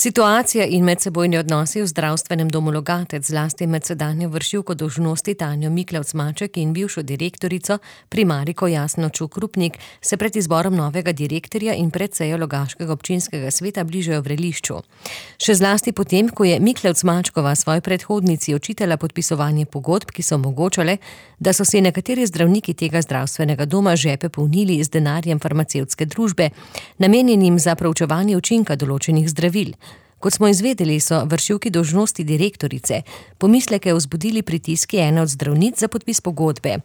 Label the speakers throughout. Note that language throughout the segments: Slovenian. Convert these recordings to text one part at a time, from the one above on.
Speaker 1: Situacija in medsebojni odnosi v zdravstvenem domu Logatec, zlasti med sedanjo vršilko dolžnosti Tanjo Miklavc-Maček in bivšo direktorico primariko Jasno Čuk-Rupnik, se pred izborom novega direktorja in pred sejo Logaškega občinskega sveta bližajo vrelišču. Še zlasti potem, ko je Miklavc-Mačkova svoji predhodnici očitala podpisovanje pogodb, ki so omogočale, da so si nekateri zdravniki tega zdravstvenega doma žepe polnili z denarjem farmacevtske družbe, namenjenim za proučevanje učinka določenih zdravil. Kot smo izvedeli, so vršilki dolžnosti direktorice pomisleke vzbudili pritiski ene od zdravnic za podpis pogodbe.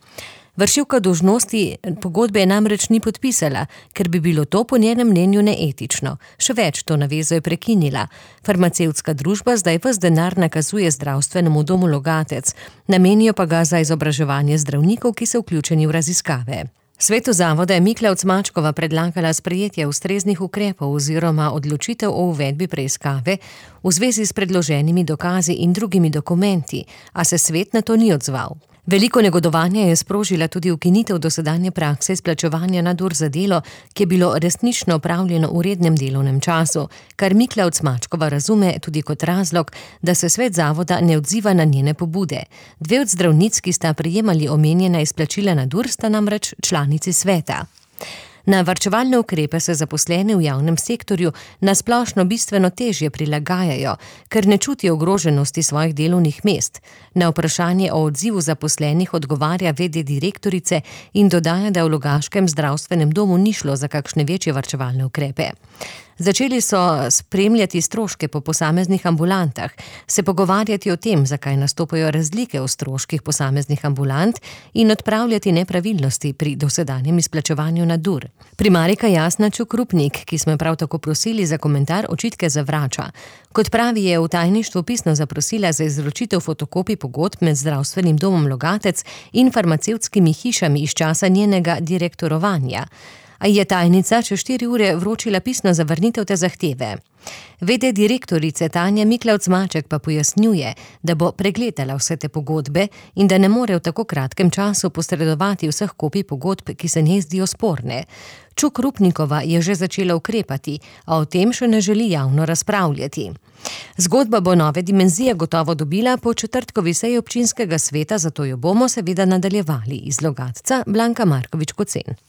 Speaker 1: Vršilka dolžnosti pogodbe namreč ni podpisala, ker bi bilo to po njenem mnenju neetično. Še več, to navezo je prekinila. Farmacevtska družba zdaj ves denar nakazuje zdravstvenemu domu Logatec, namenijo pa ga za izobraževanje zdravnikov, ki so vključeni v raziskave. Svetu zavoda je Miklavc-Mačkova predlagala sprejetje ustreznih ukrepov oziroma odločitev o uvedbi preiskave v zvezi s predloženimi dokazi in drugimi dokumenti, a se svet na to ni odzval. Veliko negodovanja je sprožila tudi ukinitev dosedanje prakse izplačevanja nadur za delo, ki je bilo resnično opravljeno v rednem delovnem času, kar Miklavc-Mačkova razume tudi kot razlog, da se svet zavoda ne odziva na njene pobude. Dve od zdravnic, ki sta prejemali omenjena izplačila nadur, sta namreč članici sveta. Na varčevalne ukrepe se zaposleni v javnem sektorju na splošno bistveno težje prilagajajo, ker ne čutijo ogroženosti svojih delovnih mest. Na vprašanje o odzivu zaposlenih odgovarja v.d. direktorice in dodaja, da v Logaškem zdravstvenem domu ni šlo za kakšne večje varčevalne ukrepe. Začeli so spremljati stroške po posameznih ambulantah, se pogovarjati o tem, zakaj nastopajo razlike v stroških posameznih ambulant in odpravljati nepravilnosti pri dosedanjem izplačevanju nadur. Primarika Jasna Čuk-Rupnik, ki smo jo prav tako prosili za komentar, očitke zavrača. Kot pravi, je v tajništvu pisno zaprosila za izročitev fotokopij pogodb med zdravstvenim domom Logatec in farmacevtskimi hišami iz časa njenega direktorovanja. A je tajnica čez 4 ure vročila pisno zavrnitev te zahteve. V.d. direktorice Tanja Miklavc-Maček pa pojasnjuje, da bo pregledala vse te pogodbe in da ne more v tako kratkem času posredovati vseh kopij pogodb, ki se njej zdijo sporne. Čuk-Rupnikova je že začela ukrepati, a o tem še ne želi javno razpravljati. Zgodba bo nove dimenzije gotovo dobila po četrtkovi seji občinskega sveta, zato jo bomo seveda nadaljevali. Iz Logatca Blanka Markovič-Kocen.